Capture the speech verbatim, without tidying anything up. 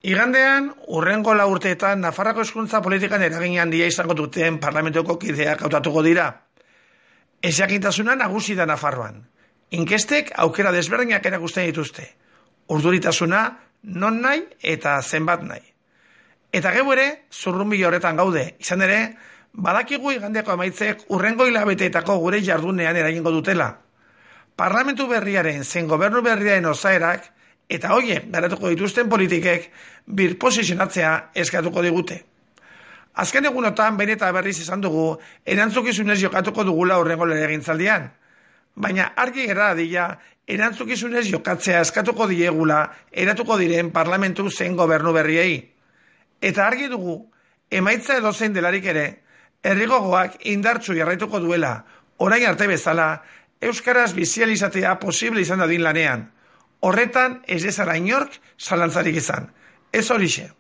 Igandean, hurrengo lau urteetan Nafarroako hezkuntza politikan eragin handia izango duten parlamentuko kideak hautatuko dira. Ezjakintasuna nagusi da Nafarroan. Inkestek aukera desberdinak erakusten dituzte. Urduritasuna non nahi eta zenbat nahi. Eta geu ere, zurrunbilo horretan gaude. Izan ere, badakigu igandeko emaitzek hurrengo hilabeteetako gure jardunean eragingo dutela. Parlamentu berriaren zein gobernu berriaren osaerak eta hoiek garatuko dituzten politikek birposizionatzea eskatuko digute. Azken egunotan behin eta berriz esan dugu erantzukizunez jokatuko dugula hurrengo legegintzaldian. Baina argi gera dadila erantzukizunez jokatzea eskatuko diegula eratuko diren parlamentu zein gobernu berriei. Eta argi dugu, emaitza edozein delarik ere, herrigogoak indartsu jarraituko duela, orain arte bezala, euskaraz bizializatea posible izan dadin lanean. Horretan ez dezala inork zalantzarik izan. Ez horixe.